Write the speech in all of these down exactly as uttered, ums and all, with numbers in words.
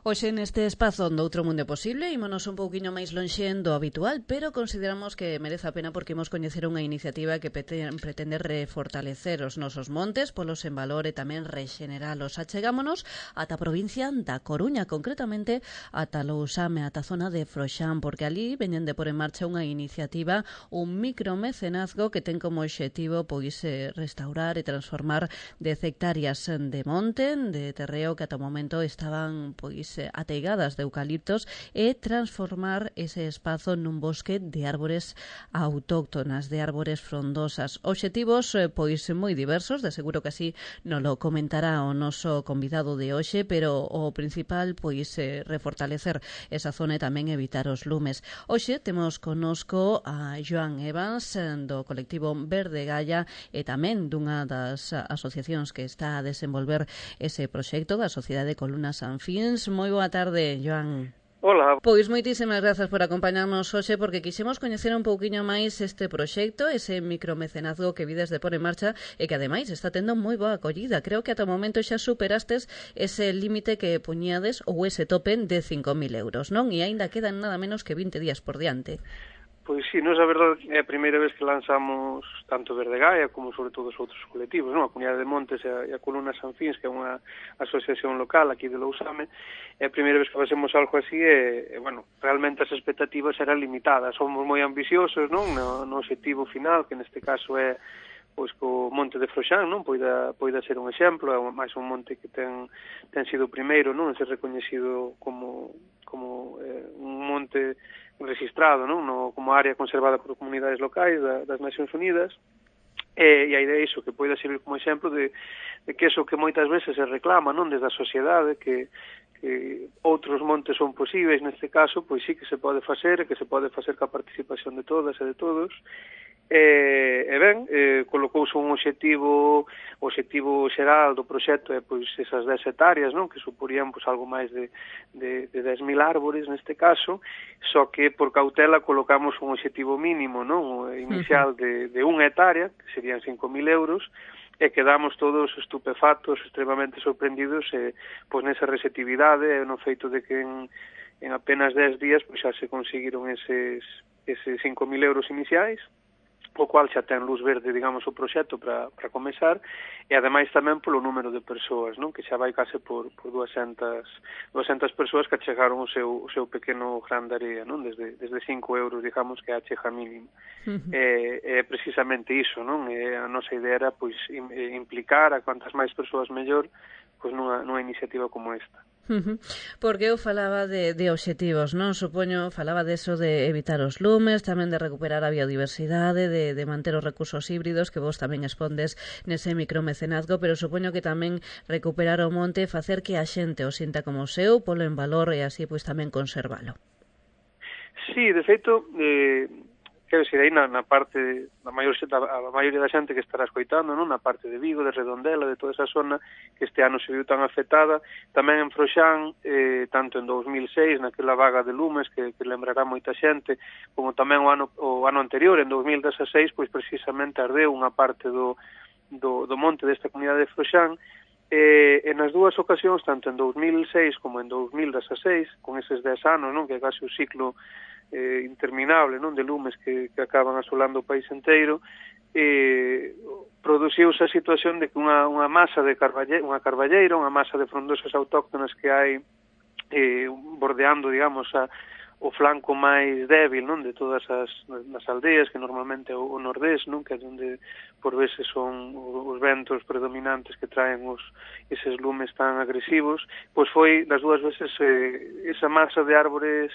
Hoxe neste espazo do Outro Mundo Posible ímonos un pouquiño máis lonxen do habitual, pero consideramos que merece a pena porque imos coñecer unha iniciativa que pretende refortalecer os nosos montes, polos en valor e tamén rexeneralos. Achegámonos ata a provincia da Coruña, concretamente ata Lousame, ata a zona de Froxán, porque ali veñen de por en marcha unha iniciativa, un micromecenazgo que ten como obxectivo pois restaurar e transformar dez hectáreas de monte, de terreo que ata o momento estaban pois ateigadas de eucaliptos e transformar ese espazo nun bosque de árbores autóctonas, de árbores frondosas. Obxectivos pois moi diversos, de seguro que así nos lo comentará o noso convidado de hoxe, pero o principal pois é refortalecer esa zona e tamén evitar os lumes. Hoxe temos conosco a Joan Evans do colectivo Verde Gaia e tamén dunha das asociacións que está a desenvolver ese proxecto, da Sociedade Columna Sanfins. Moi boa tarde, Joan. Hola. Pois moitísimas grazas por acompañarnos hoxe, porque quixemos coñecer un pouquiño máis este proxecto, ese micromecenazgo que vides de por en marcha e que ademais está tendo moi boa acollida. Creo que ata o momento xa superastes ese límite que puñades ou ese tope de cinco mil euros, non? E aínda quedan nada menos que vinte días por diante. Pois sí, nos a verdade é a primeira vez que lanzamos tanto Verde Gaia como sobre todo os outros colectivos, non? A Comunidade de Montes e a, e a Columna Sanfins, que é unha asociación local aquí de Lousame, é a primeira vez que facemos algo así e, e bueno, realmente as expectativas eran limitadas. Somos moi ambiciosos, non? No, no objetivo final, que neste caso é pois co monte de Froxán, non? Poida, poida ser un exemplo, é máis un monte que ten, ten sido o primeiro, non? Ser reconhecido como, como eh, un monte registrado, non? No, como área conservada por comunidades locais da, das Nacións Unidas, e, e a idea é iso, que poida servir como exemplo de, de que eso que moitas veces se reclama, non? Desde a sociedade, que, que outros montes son posibles, neste caso, pois sí que se pode facer, que se pode facer ca participación de todas e de todos. E, e ben, eh, colocouse un obxectivo, o obxectivo xeral do proxecto é pois esas dez hectáreas, non? Que suporían pois algo máis de, de, de dez mil árbores neste caso, só que por cautela colocamos un obxectivo mínimo, non? Inicial de, de unha hectárea, que serían cinco mil euros, e quedamos todos estupefactos, extremamente sorprendidos eh, pois nesa receptividade e no feito de que en, en apenas dez días pois xa se conseguiron eses, eses cinco mil euros iniciais, o cual xa ten luz verde, digamos, o proxecto para, para comezar, e ademais tamén polo número de persoas, non? Que xa vai case por, por duascentas persoas que achegaron o seu, o seu pequeno gran de area, non? Desde, desde cinco euros, digamos, que é a chega mínima. Uh-huh. É, é precisamente iso, non? E a nosa idea era, pois, implicar a cuantas máis persoas mellor, pois, nunha, nunha iniciativa como esta. Uh-huh. Porque eu falaba de, de obxectivos, non? Supoño, falaba de eso de evitar os lumes, tamén de recuperar a biodiversidade, de, de manter os recursos híbridos, que vos tamén expondes nese micromecenazgo, pero supoño que tamén recuperar o monte, facer que a xente o sinta como seu, polo en valor e así pois tamén conservalo. Sí, de feito, eh, quero dicir, aí na, na parte, na maior, a maioría da xente que estará escoitando, non? Na parte de Vigo, de Redondela, de toda esa zona que este ano se viu tan afectada, tamén en Froxán, eh, tanto en dous mil seis, naquela vaga de lumes que, que lembrará moita xente, como tamén o ano, o ano anterior, en dous mil dezasseis, pois precisamente ardeu unha parte do, do, do monte desta comunidade de Froxán, e, e nas dúas ocasións, tanto en dous mil seis como en dous mil dezasseis, con eses dez anos, non? Que é case o ciclo eh, interminable, non? De lumes que, que acaban asolando o país inteiro, eh, produciuse a situación de que unha, unha masa de carballeira, unha carballeira, unha masa de frondosas autóctonas que hai eh, bordeando, digamos, a, o flanco máis débil, non? De todas as, as aldeas, que normalmente é o, o nordés, non? Que é onde por veces son os ventos predominantes que traen os, eses lumes tan agresivos, pois foi das dúas veces eh, esa masa de árbores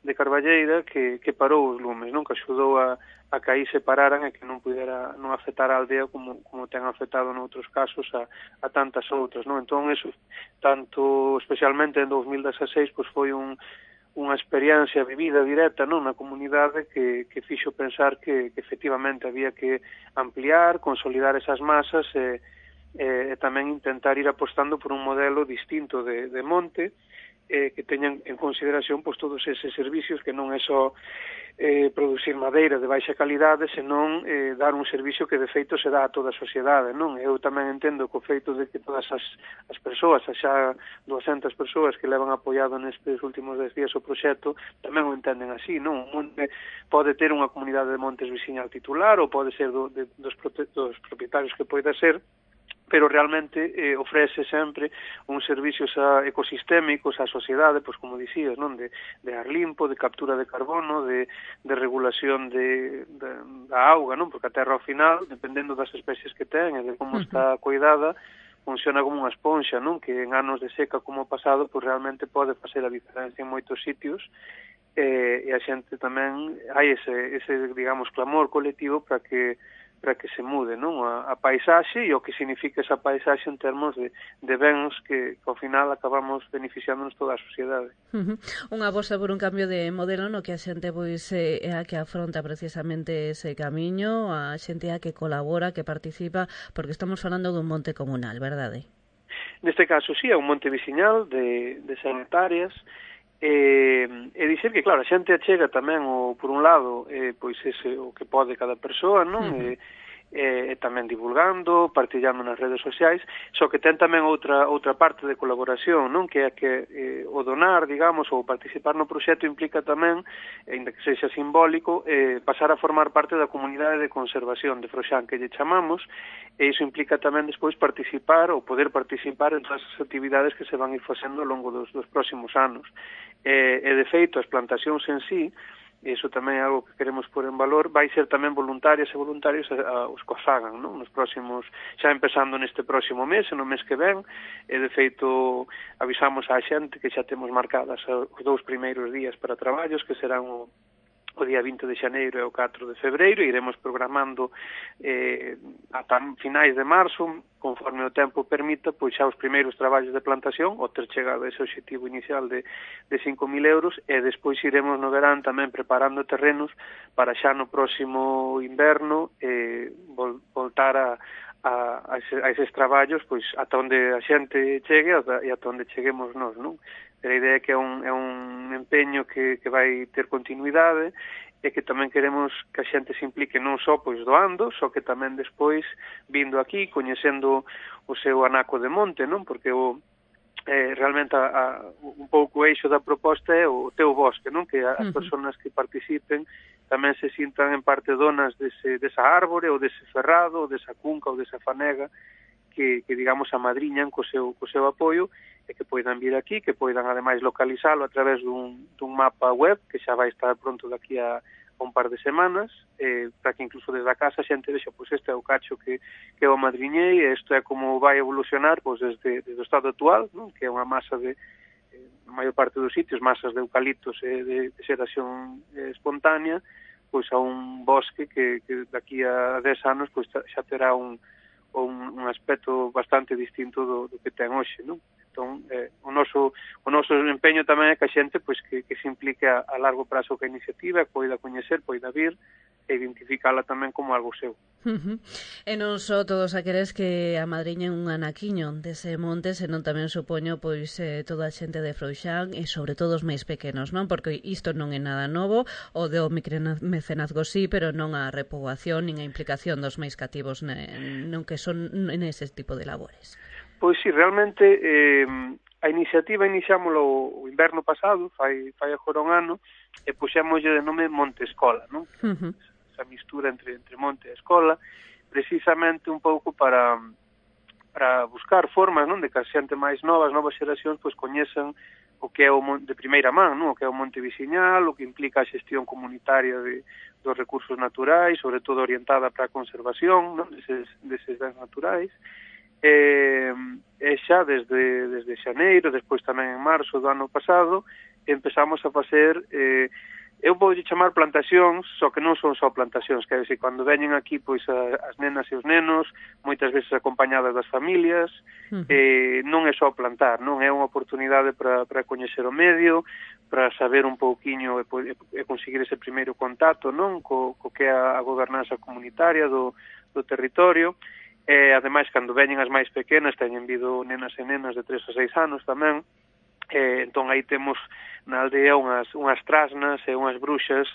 de carballeira que, que parou os lumes, non? Que axudou a, a que aí se pararan e que non pudera non afectar a aldea como, como ten afectado noutros casos a, a tantas outras, non? Entón, eso, tanto especialmente en dous mil dezasseis, pois foi un, unha experiencia vivida directa, non? Na comunidade que, que fixo pensar que, que efectivamente había que ampliar, consolidar esas masas e, e, e tamén intentar ir apostando por un modelo distinto de, de monte, eh, que teñan en consideración pois, todos eses servicios, que non é só eh, producir madeira de baixa calidade, senón eh, dar un servicio que de feito se dá a toda a sociedade, non? Eu tamén entendo que o feito de que todas as, as persoas, as xa duascentas persoas que levan apoiado nestes últimos dez días o proxecto, tamén o entenden así, non? Un monte pode ter unha comunidade de montes veciñal titular ou pode ser do, de, dos, dos propietarios que poida ser, pero realmente eh, ofrece sempre un servicios a ecosistémicos á sociedade, pois como dicías, non, de, de ar limpo, de captura de carbono, de, de regulación de, de, da auga, non, porque a terra ao final, dependendo das especies que ten e de como uh-huh. está cuidada, funciona como unha esponxa, non, que en anos de seca como o pasado, pois realmente pode facer a diferencia en moitos sitios, eh, e a xente tamén, hai ese, ese digamos, clamor colectivo para que para que se mude, non, a, a paisaxe e o que significa esa paisaxe en termos de, de bens que, que ao final acabamos beneficiándonos toda a sociedade. Uh-huh. Unha aposta por un cambio de modelo no que a xente pois é a que afronta precisamente ese camiño, a xente a que colabora, que participa, porque estamos falando dun monte comunal, verdade? Neste caso, sí, é un monte veciñal de, de cen hectáreas, e, e dicir que, claro, a xente achega tamén, o, por un lado, eh, pois ese, o que pode cada persoa, non? Uh-huh. E, e, e tamén divulgando, partillando nas redes sociais, só que ten tamén outra outra parte de colaboración, non? Que é que eh, o donar, digamos, ou participar no proxecto implica tamén, ainda que sexa simbólico, eh, pasar a formar parte da comunidade de conservación de Froxán, que lle chamamos, e iso implica tamén despois participar ou poder participar en todas as actividades que se van ir facendo ao longo dos, dos próximos anos. E, e de feito, as plantacións en sí, e iso tamén é algo que queremos pôr en valor, vai ser tamén voluntarias e voluntarios a, a, os que fagan, non? Nos próximos, xa empezando neste próximo mes, no mes que ven, e de feito avisamos á xente que xa temos marcadas os dous primeiros días para traballos, que serán o o día vinte de xaneiro e o catro de febreiro, e iremos programando eh, ata finais de marzo, conforme o tempo permita, pois xa os primeiros traballos de plantación, o ter chegado a ese objetivo inicial de, de cinco mil euros, e despois iremos no verán tamén preparando terrenos para xa no próximo inverno eh, vol, voltar a A, a, ese, a eses traballos, pois ata onde a xente chegue e ata onde cheguemos nós, non? Pero a idea é que é un, é un empeño que, que vai ter continuidade e que tamén queremos que a xente se implique non só pois doando, só que tamén despois vindo aquí, coñecendo o seu anaco de monte, non? Porque o eh, realmente a, a, un pouco o eixo da proposta é o teu bosque, non? Que as uh-huh. persoas que participen tamén se sintan en parte donas dese, desa árbore ou dese ferrado, ou desa cunca ou desa fanega que, que digamos, amadriñan co seu, co seu apoio e que poidan vir aquí, que poidan ademais localizalo a través dun, dun mapa web que xa vai estar pronto daqui a, a un par de semanas, eh, para que incluso desde a casa a xente vexa, pois este é o cacho que, que eu amadriñei e isto é como vai evolucionar pois desde, desde o estado actual, non? Que é unha masa de na maior parte dos sitios, masas de eucaliptos e de, de xeración eh, espontánea, pois a un bosque que, que daqui a dez anos pois xa terá un, un, un aspecto bastante distinto do, do que ten hoxe, non? Entón, eh, o noso o noso empeño tamén é que a xente pois que, que se implique a, a largo prazo ca iniciativa, que poida coñecer, poida vir e identificala tamén como algo seu. Uh-huh. E non só todos aqueles que amadriñen un anaquiño dese monte, senón tamén supoño pois eh, toda a xente de Froxán e sobre todo os máis pequenos, non? Porque isto non é nada novo, o do micromecenazgo sí, pero non a repoboación nin a implicación dos máis cativos non que son nese tipo de labores. Pois sí, realmente eh, a iniciativa iniciámoslo o inverno pasado, fai, fai agora un ano, e puxémoslle de nome Monte Escola, non? Uh-huh. Esa mistura entre, entre monte e escola, precisamente un pouco para, para buscar formas, non, de que a xente máis nova, as novas xeracións, pois coñezan o que é o monte de primeira man, non? O que é o monte veciñal, o que implica a xestión comunitaria de, dos recursos naturais, sobre todo orientada para a conservación, non? Deses, deses bens naturais. E, e xa desde, desde xaneiro, despois tamén en marzo do ano pasado, empezamos a facer... Eh, eu vou chamar plantacións, só que non son só plantacións, que é dicir, cando veñen aquí pois a, as nenas e os nenos, moitas veces acompañadas das familias, uh-huh. eh, non é só plantar, non é unha oportunidade para, para coñecer o medio, para saber un pouquiño e, e conseguir ese primeiro contacto, non, co, co que é a, a gobernanza comunitaria do, do territorio, e ademais cando veñen as máis pequenas, teñen vido nenas e nenas de tres a seis anos tamén, Eh, entón aí temos na aldea unhas, unhas trasnas e unhas bruxas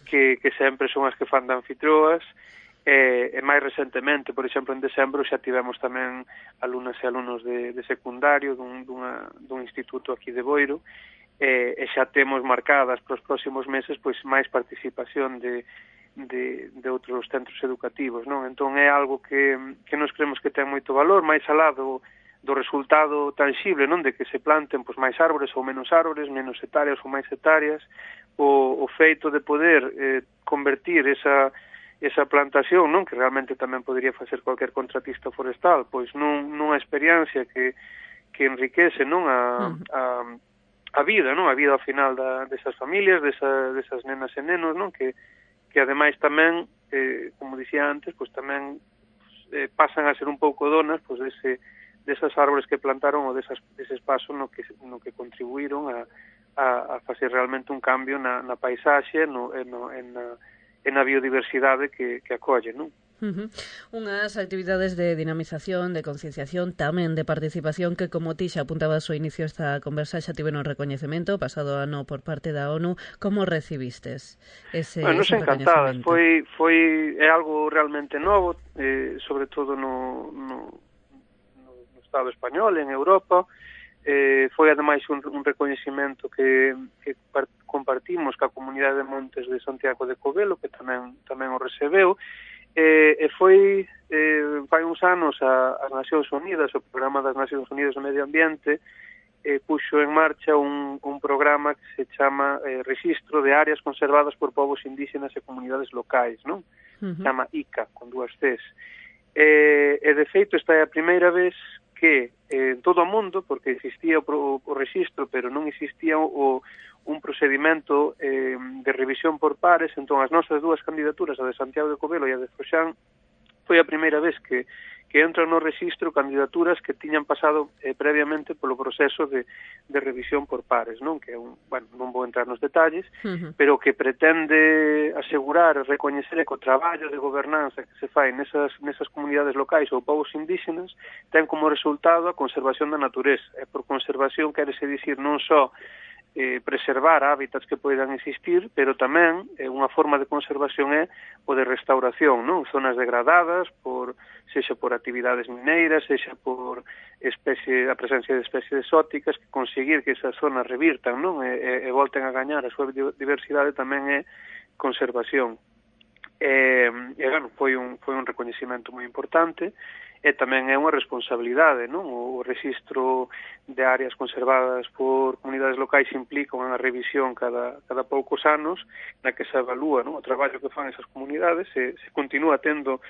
que, que sempre son as que fan de anfitrioas, e, e máis recentemente, por exemplo, en decembro xa tivemos tamén alumnas e alumnos de, de secundario dun, dunha, dun instituto aquí de Boiro, e, e xa temos marcadas para os próximos meses pois máis participación de, de, de outros centros educativos, non? Entón é algo que, que nos creemos que ten moito valor, máis alá do, do resultado tangible, non? De que se planten pois máis árbores ou menos árbores, menos hectáreas ou máis hectáreas, o, o feito de poder eh, convertir esa esa plantación, non, que realmente tamén podría facer cualquier contratista forestal, pois nun, nunha experiencia que, que enriquece, non, a, a, a vida, non, a vida ao final da, desas familias, desa, desas nenas e nenos, non, que, que ademais tamén, eh, como dicía antes, pois tamén eh, pasan a ser un pouco donas, pois dese, desas árbores que plantaron ou desas, dese espazo no que, no que contribuíron a, a, a facer realmente un cambio na, na paisaxe, no, no, en na e na biodiversidade que, que acolle, non? Uh-huh. Unhas actividades de dinamización, de concienciación, tamén de participación que, como ti xa apuntabas ao inicio esta conversa, xa tiveron recoñecemento pasado ano por parte da ONU. Como recivistes ese, bueno, ese recoñecemento? Foi, foi é algo realmente novo, eh, sobre todo no, no, no Estado español, en Europa. Eh, foi ademais un, un recoñecemento que, que compartimos ca comunidade de Montes de Santiago de Covelo, que tamén tamén o recebeu, eh, e foi eh, fai uns anos a, as Nacións Unidas, o Programa das Nacións Unidas do Medio Ambiente, eh, puxo en marcha un, un programa que se chama eh, Registro de Áreas Conservadas por Povos Indígenas e Comunidades Locais, non? Uh-huh. Chama I C A, con dúas Cs. E, e de feito esta é a primeira vez que eh, en todo o mundo, porque existía o, o registro, pero non existía o, un procedimento eh, de revisión por pares, entón as nosas dúas candidaturas, a de Santiago de Covelo e a de Froxán, foi a primeira vez que, que entran no registro candidaturas que tiñan pasado eh, previamente polo proceso de, de revisión por pares, non? Que é un, bueno, non vou entrar nos detalles, uh-huh. pero que pretende asegurar, recoñecer que o traballo de gobernanza que se fai nesas, nesas comunidades locais ou povos indígenas ten como resultado a conservación da natureza. E por conservación quérese dicir non só eh, preservar hábitats que poidan existir, pero tamén eh, unha forma de conservación é o de restauración, non? Zonas degradadas, por sexa por actividades mineiras, sexa por especie, a presencia de especies exóticas, que conseguir que esas zonas revirtan, non? E, e, e volten a gañar a súa diversidade tamén é conservación. E, e bueno, foi un, foi un recoñecimento moi importante, e tamén é unha responsabilidade, non? O registro de áreas conservadas por comunidades locais implica unha revisión cada, cada poucos anos na que se evalúa, non? O traballo que fan esas comunidades, se, se continúa tendo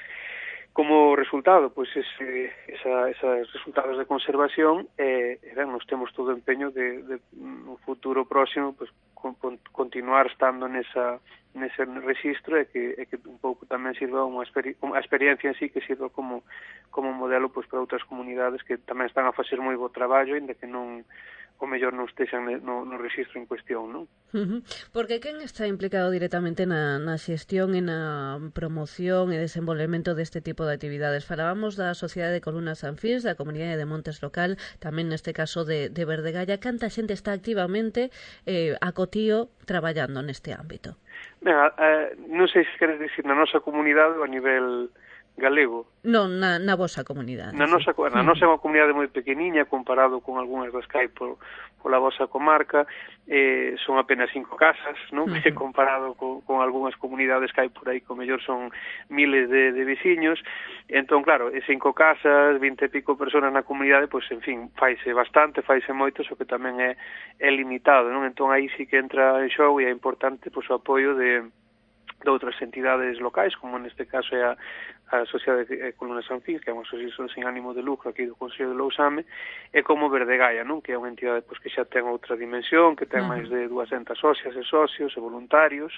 como resultado pois ese, esa, esos resultados de conservación e, e ben, nos temos todo o empeño de, de no futuro próximo pois, con, con, continuar estando nesa, nese registro e que, e que un pouco tamén sirva unha experi a experiencia en sí que sirva como, como modelo pois, para outras comunidades que tamén están a facer moi bo traballo ainda que non o mellor non estexan no, no registro en cuestión, non? Uh-huh. Porque quen está implicado directamente na, na xestión e na promoción e desenvolvemento deste tipo de actividades? Falábamos da Sociedade de Columnas Anfís, da Comunidade de Montes Local, tamén neste caso de, de Verdegalla. Canta xente está activamente eh, a cotío traballando neste ámbito? Ben, eh, non sei se queres dicir na nosa comunidade ou a nivel galego. Non, na, na vosa comunidade. Na nosa, na nosa é unha comunidade moi pequeniña comparado con algunhas das que hai por, pola vosa comarca, eh, son apenas cinco casas, non? Uh-huh. Comparado con, con algunhas comunidades que hai por aí, como mellor son miles de, de veciños. Entón, claro, cinco casas, vinte e pico personas na comunidade, pois, en fin, faise bastante, faise moito, só que tamén é, é limitado, non? Entón, aí sí que entra en xogo e é importante pois, o apoio de de outras entidades locais, como neste caso é a, a Sociedade de Columnas Anfís, que é unha asociación sin ánimo de lucro aquí do Concello de Lousame, e como Verdegalla, non? Que é unha entidade pois, que xa ten outra dimensión, que ten uh-huh. máis de duascentas socias e socios e voluntarios,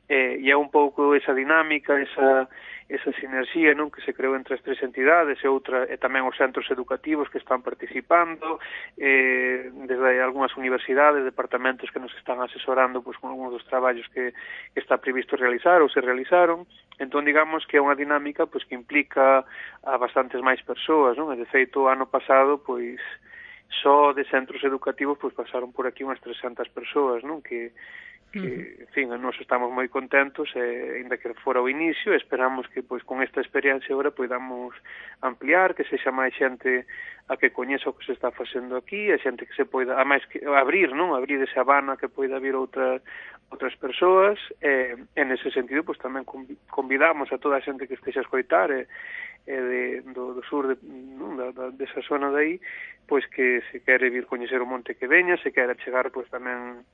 eh, e é un pouco esa dinámica, esa, esa sinerxía, non? Que se creou entre as tres entidades e outra e tamén os centros educativos que están participando, eh, desde algunhas universidades, departamentos que nos están asesorando pois, con algúns dos traballos que, que está previsto realizar ou se realizaron. Entón, digamos que é unha dinámica pois, que implica a bastantes máis persoas, non? E, de feito, o ano pasado, pois, só de centros educativos pois pasaron por aquí unhas trescentas persoas, non? Que que, en fin, nós estamos moi contentos, e, ainda que fora o inicio, esperamos que, pois, con esta experiencia agora podamos ampliar, que sexa máis xente a que coñeza o que se está facendo aquí, a xente que se poida, a máis que abrir, non? Abrir esa habana que poida vir outras outras persoas, e, en ese sentido, pois, tamén convidamos a toda a xente que estexa a escoitar, e, e de, do, do sur de, non? Da, da, desa zona de aí, pois, que se quere vir coñecer o monte que veña, se quere chegar, pois, tamén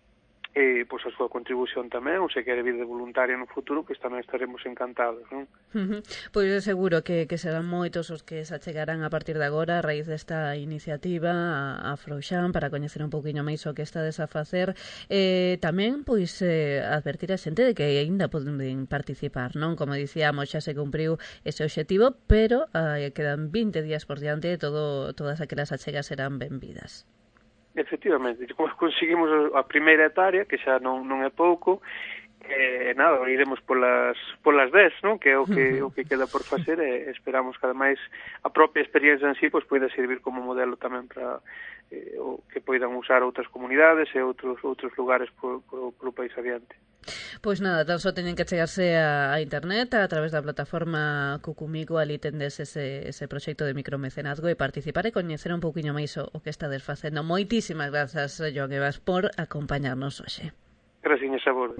e pois a súa contribución tamén, ou se quere vir de voluntaria no futuro, pois tamén estaremos encantados, non? Uh -huh. Pois é seguro que, que serán moitos os que se achegarán a partir de agora a raíz desta iniciativa a, a Frouxán para coñecer un pouquiño máis o que estades a facer. Eh, tamén, pois, eh, advertir a xente de que aínda poden participar, non? Como dicíamos, xa se cumpriu ese obxectivo, pero eh, quedan vinte días por diante e todo, todas aquelas achegas serán benvidas. Efectivamente, como conseguimos a primeira etaria, que xa non, non é pouco, e nada, iremos polas, polas dez, non? Que é o que, o que queda por facer, e esperamos que ademais a propia experiencia en sí pois poida servir como modelo tamén para eh, o que poidan usar outras comunidades e outros outros lugares por, por, polo país adiante. Pois nada, tan só teñen que chegarse a, a internet a través da plataforma Cucumico, ali tendes ese, ese proxecto de micromecenazgo e participar e coñecer un pouquiño máis o, o que estades facendo. Moitísimas grazas, Joan Evas, por acompañarnos hoxe. Gracias, a vos.